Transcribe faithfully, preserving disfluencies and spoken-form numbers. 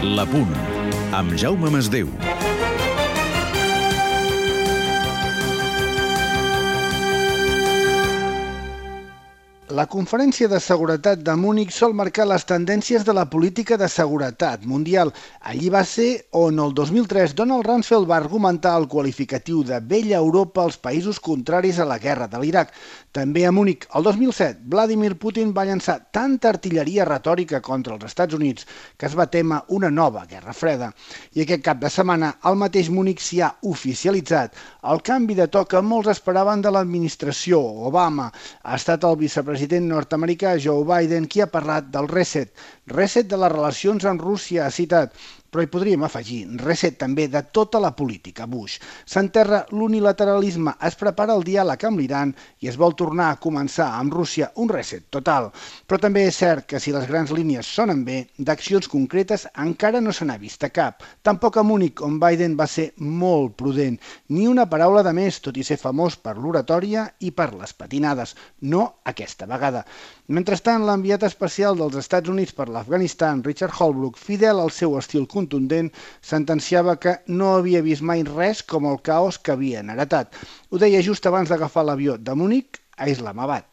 La Punt, amb Jaume Masdeu. La Conferència de Seguretat de Munic sol marcar les tendències de la política de seguretat mundial. Allí va ser on el dos mil tres Donald Rumsfeld va argumentar el qualificatiu de vella Europa als països contraris a la guerra de l'Iraq. També a Munic, el dos mil set, Vladimir Putin va llançar tanta artilleria retòrica contra els Estats Units que es va témer una nova guerra freda. I aquest cap de setmana, al mateix Munic s'hi ha oficialitzat el canvi de to que molts esperaven de l'administració Obama. Ha estat el vicepresident El president nord-americà Joe Biden qui ha parlat del reset. Reset de les relacions amb Rússia, ha citat, però hi podríem afegir reset també de tota la política Bush. S'enterra l'unilateralisme, es prepara el diàleg amb l'Iran i es vol tornar a començar amb Rússia un reset total. Però també és cert que si les grans línies sonen bé, d'accions concretes encara no se n'ha vista cap. Tampoc a Munic, on Biden va ser molt prudent. Ni una paraula de més, tot i ser famós per l'oratòria i per les patinades. No aquesta vegada. Mentrestant, l'enviat especial dels Estats Units per l'Afganistan, Richard Holbrooke, fidel al seu estil contundent, sentenciava que no havia vist mai res com el caos que havien heretat. Ho deia just abans d'agafar l'avió de Munic a Islamabad.